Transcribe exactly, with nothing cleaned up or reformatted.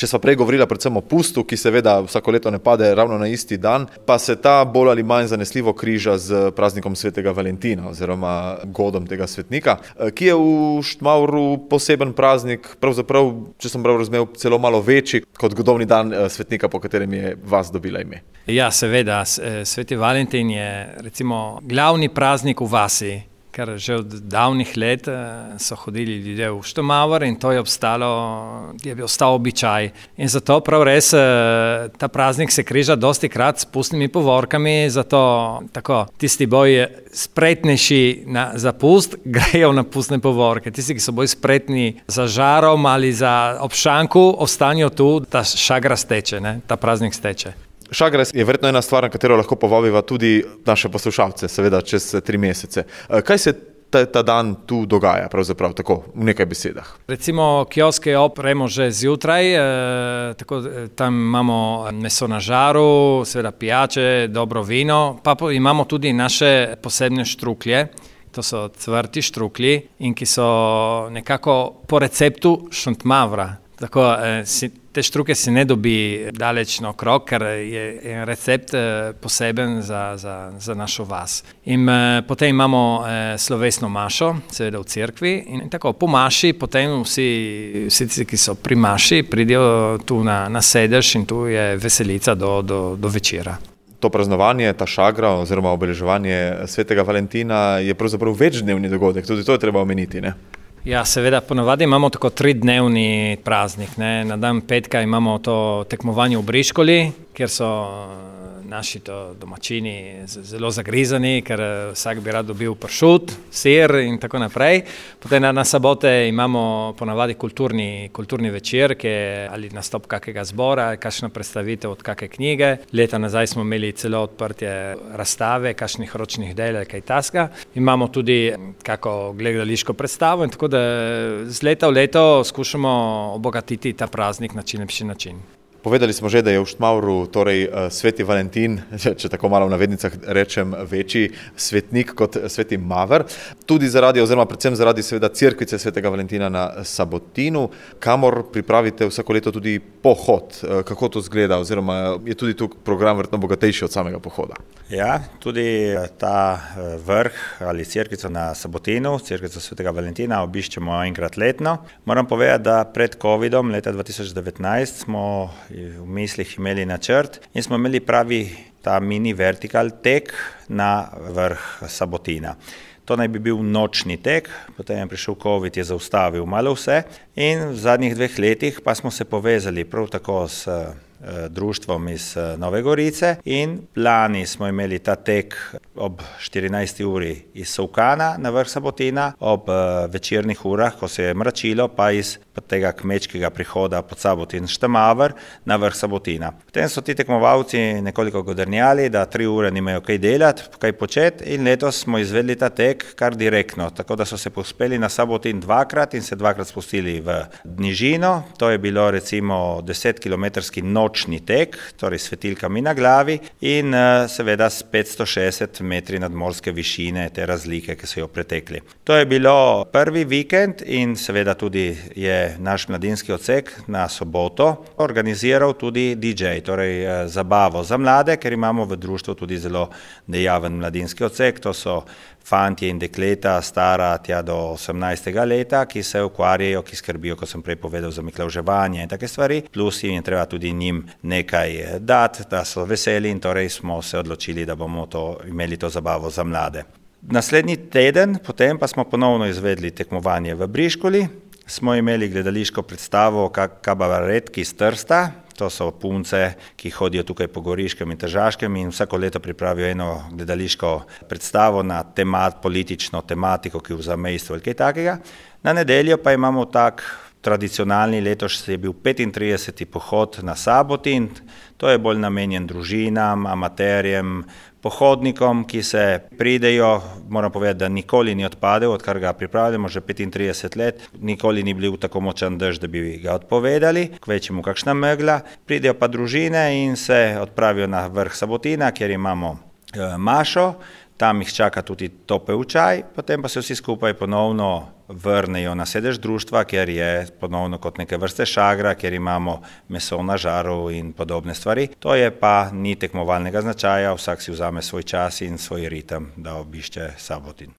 Če sva prej govorila predvsem o pustu, ki seveda vsako leto ne pade ravno na isti dan, pa se ta bolj ali manj zanesljivo križa z praznikom svetega Valentina oziroma godom tega svetnika, ki je v Štmavru poseben praznik, pravzaprav, če sem prav razumel, celo malo večji kot godovni dan svetnika, po katerem je vas dobila ime. Ja, seveda, sveti Valentin je recimo glavni praznik v vasi, ker že od davnih let so hodili ljudje v Štmavr in to je obstalo, je bil ostal običaj. In zato prav res ta praznik se križa dosti krat s pustnimi povorkami, zato tako tisti bolj spretnejši na, za pust grejo na pustne povorke. Tisti, ki so bolj spretni za žarom ali za obšanku, ostanejo tu, ta šagra steče, ne? Ta praznik steče. Šagra je verjetno ena stvar, na katero lahko povabiva tudi naše poslušalce, seveda čez tri mesece. Kaj se ta, ta dan tu dogaja, pravzaprav tako, v nekaj besedah? Recimo kioske opremo že zjutraj, eh, tako tam imamo meso na žaru, seveda pijače, dobro vino, pa imamo tudi naše posebne štruklje. To so cvrti štruklji in ki so nekako po receptu Šentmavra. Tako, eh, si, te štruke se ne dobi daleč naokrog, ker je, je recept eh, poseben za, za, za našo vas. In eh, potem imamo eh, slovesno mašo, seveda v cerkvi, in tako po maši, potem vsi, vsi, ki so pri maši, pridejo tu na, na sedež in tu je veselica do, do, do večera. To praznovanje, ta šagra oziroma obeleževanje svetega Valentina je pravzaprav večdnevni dogodek, tudi to je treba omeniti, ne? Ja, seveda, ponavadi imamo tako tridnevni praznik, ne. Na dan petka imamo to tekmovanje v briškoli, kjer so naši to domačini zelo zagrizani, ker vsak bi rad dobil pršut, sir in tako naprej. Potem na, na sobote imamo ponavadi kulturni, kulturni večer, ki je ali nastop kakega zbora, kakšna predstavitev od kakšne knjige. Leta nazaj smo imeli celo odprtje razstave, kakšnih ročnih del, kaj taska. Imamo tudi kako gledališko predstavo in tako da z leta v leto skušamo obogatiti ta praznik na čim lepši način. Povedali smo že, da je v Štmavru torej sveti Valentin, če tako malo v navednicah rečem, večji svetnik kot sveti Maver. Tudi zaradi, oziroma predvsem zaradi seveda cerkvice svetega Valentina na Sabotinu, kamor pripravite vsako leto tudi pohod. Kako to zgleda, oziroma je tudi tu program verjetno bogatejši od samega pohoda? Ja, tudi ta vrh ali cerkvico na Sabotinu, cerkvico svetega Valentina obiščemo enkrat letno. Moram povedati, da pred covidom leta dva tisoč devetnajst smo v mislih imeli načrt in smo imeli pravi ta mini vertikal tek na vrh Sabotina. To naj bi bil nočni tek, potem je prišel covid, je zaustavil malo vse in v zadnjih dveh letih pa smo se povezali prav tako s društvom iz Nove Gorice in lani smo imeli ta tek ob štirinajsti uri iz Solkana na vrh Sabotina, ob večernih urah, ko se je mračilo, pa iz tega kmečkega prihoda pod Sabotin Štmavr na vrh Sabotina. Potem so ti tekmovalci nekoliko godrnjali, da tri ure nimajo kaj delati, kaj početi in letos smo izvedli ta tek kar direktno, tako da so se povzpeli na Sabotin dvakrat in se dvakrat spustili v nižino. To je bilo recimo desetkilometrski nočni tek, torej s svetilkami na glavi in seveda s petsto šestdeset metri nadmorske višine te razlike, ki so jo pretekli. To je bilo prvi vikend in seveda tudi je naš mladinski odsek na soboto organiziral tudi D J, torej zabavo za mlade, ker imamo v društvu tudi zelo dejaven mladinski odsek, to so fantje in dekleta stara tja do osemnajstega leta, ki se ukvarjajo, ki skrbijo, kot sem prej povedal, za miklavževanje in take stvari, plus jim je treba tudi njim nekaj dati, da so veseli in torej smo se odločili, da bomo to, imeli to zabavo za mlade. Naslednji teden, potem pa smo ponovno izvedli tekmovanje v Briškoli, smo imeli gledališko predstavo Kabaretki iz Trsta. To so punce, ki hodijo tukaj po Goriškem in Tržaškem in vsako leto pripravijo eno gledališko predstavo na temat, politično tematiko, ki vzame isto ali kaj takega. Na nedeljo pa imamo tak tradicionalni, letos je bil petintrideseti pohod na Sabotin. To je bolj namenjen družinam, amaterjem, pohodnikom, ki se pridejo, moram povedati, da nikoli ni odpadel, odkar ga pripravljamo že petintrideset let, nikoli ni bil tako močan dež, da bi ga odpovedali, kvečjemu kakšna megla, pridejo pa družine in se odpravijo na vrh Sabotina, kjer imamo e, mašo. tam jih čaka tudi topel čaj, potem pa se vsi skupaj ponovno vrnejo na sedež društva, kjer je ponovno kot neke vrste šagra, kjer imamo meso na žaru in podobne stvari. To je pa ni tekmovalnega značaja, vsak si vzame svoj čas in svoj ritem, da obišče Sabotin.